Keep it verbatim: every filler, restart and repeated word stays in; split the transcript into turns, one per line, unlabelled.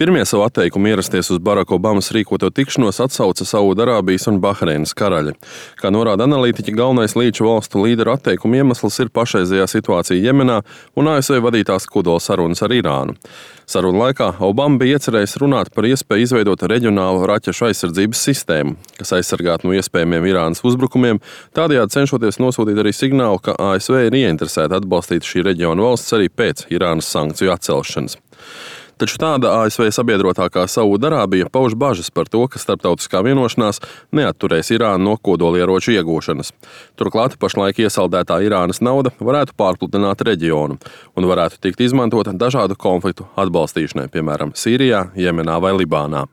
Pirmie savu atteikumu ierasties uz Baraka Obamas rīkoto tikšanos atsauca Saūdarābijas un Bahreinas karaļi. Kā norāda analītiķi, galvenais līča valstu līderu atteikuma iemesls ir pašreizējā situācija Jemenā un A S V vadītās kodola sarunas ar Irānu. Sarunu laikā Obama bija iecerējis runāt par iespēju izveidot reģionālu raķešu aizsardzības sistēmu, kas aizsargātu no iespējamiem Irānas uzbrukumiem, tādējādi cenšoties nosūtīt arī signālu, ka A S V ir ieinteresēta atbalstīt šī reģiona valsts arī pēc Irānas sankciju atcelšanas. Taču tāda A S V sabiedrotā kā Saūdarābija pauž bažas par to, ka starptautiskā vienošanās neatturēs Irānu no kodolieroču iegūšanas. Turklāt pašlaik iesaldētā Irānas nauda varētu pārpludināt reģionu un varētu tikt izmantota dažādu konfliktu atbalstīšanai, piemēram, Sīrijā, Jemenā vai Libānā.